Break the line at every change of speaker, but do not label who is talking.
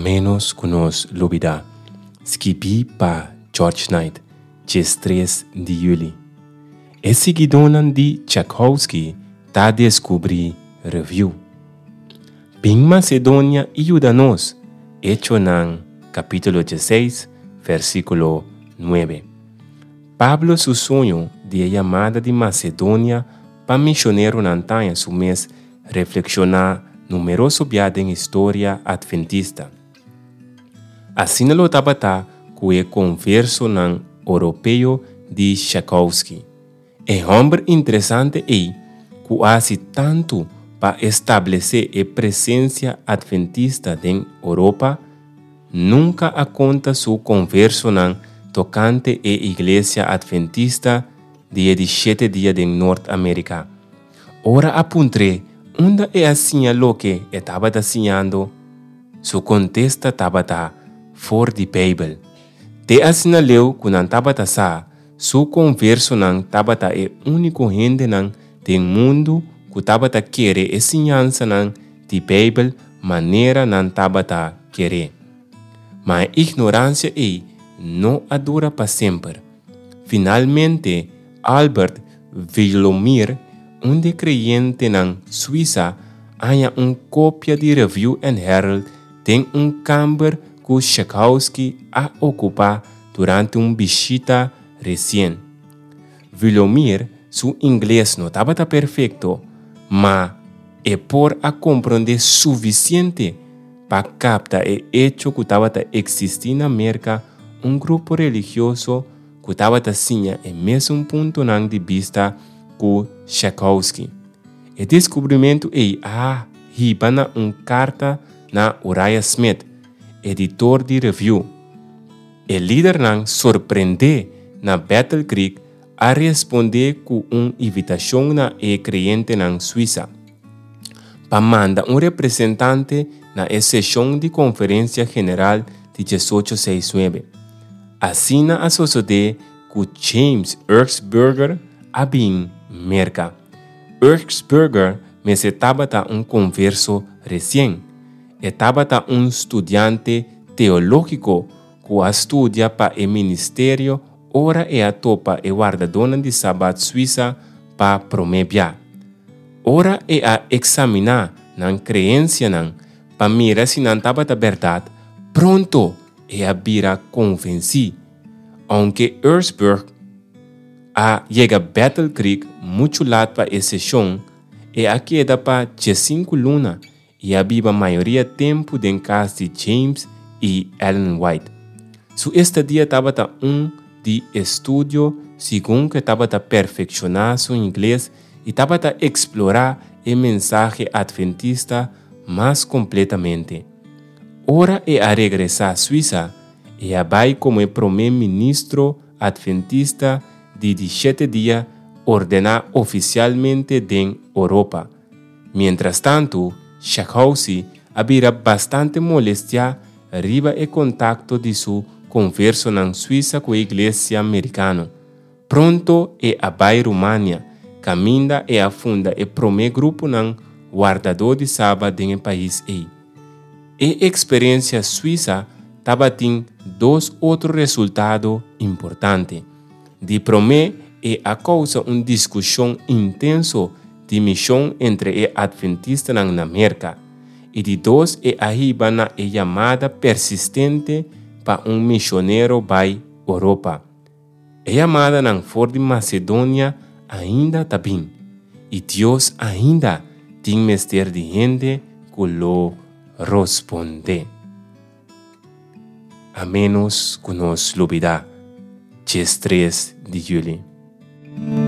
ménos ku nos lubidá. Skibí pa George Knight, 13 di yüli. E siguidónan di Tchaikovsky ta deskubrí Review. Bin Masedonia i yuda nos, Echonan kapítulo 16, versíkulo 9. Pablo su soño di e yamada di Masedonia pa misioneronan taña su mes reflekshoná numeroso bia den historia atventista. Asina lo tabata ku e konversonan oropeo di Tchaikovsky. E hòmber interesante ei ku a hasi tantu pa establesé e presensia atventista den Oropa, nunka a konta su konversonan tokante e Iglesia Atventista di e di Shete Dia den Nort Amerika. Ora a puntr'é unda e a siña loke e tabata siñando, su kontesta tabata for di Beibel. Te asina leu ku nan tabata sa, su konversonan tabata e úniko hendenan den mundu ku tabata kere e siñansanan di Beibel manera nan tabata ker'é. Ma e ignoransia ei no a dura pa semper. Finalmente, Albert Vilomir, un di e kreyentenan Suisa, a haña un kopia di Review and Herald den un kamber ku Schakowsky a okupá durante un bishita resien. Vilomir su ingles no tabata perfekto, ma e por a komprondé sufisiente pa kapta e echo ku tabata eksistí na Merka un grupo religioso ku tabata siña e mesun puntonan di bista ku Schakowsky. E deskubrimentu ei a hiba na un karta na Uriah Smith, editor di Review. E lidernan sorprendé na Battle Creek a respondé ku un invitashon na e kreyentenan Suisa pa manda un representante na e seshon di konferensia general di diesocho seis nuebe. Asina a sosodé ku James Erzberger a bin Merka. Erzberger mester tabata un konverso resien. E tabata un studiante teológiko ku a studia pa e ministerio ora e a topa e wardadónan di Sabat Suisa pa promé bia. Ora e a eksaminá nan kreensianan pa mira si nan tabata bèrdat, pronto e a bira konvensí. Ounke Erzberg a yega Battle Creek muchu lat pa e seshon, e a keda pa diesinku luna i a biba mayoria tempu den kas di James i Ellen White. Su estadia tabata un di estudio segun ku e tabata perfekshoná su ingles i tabata eksplorá e mensahe atventista mas kompletamente. Ora e a regresá Suisa, e a bai komo e promé ministro atventista di di shete dia ordená ofisialmente den Oropa. Mientrastantu, Shakhousy a bira bastante molestiá riba e kontakto di su konversonan Suisa ku e iglesia merikano. Pronto e a bai Rumania, kaminda e a funda e promé gruponan wardadó di Sabat den e pais ei. E eksperensia Suisa tabatin dos otro resultado importante. Di promé, e a kousa un diskushon intenso di mishon entre e atventistanan na Merka, i di dos e a hiba na e yamada persistente pa un mishonero bai Oropa. E yamadanan for di Masedonia ainda ta bin, i Dios ainda tin mester di hende ku lo rospondé. A ménos ku nos lubidá 13 di yüli.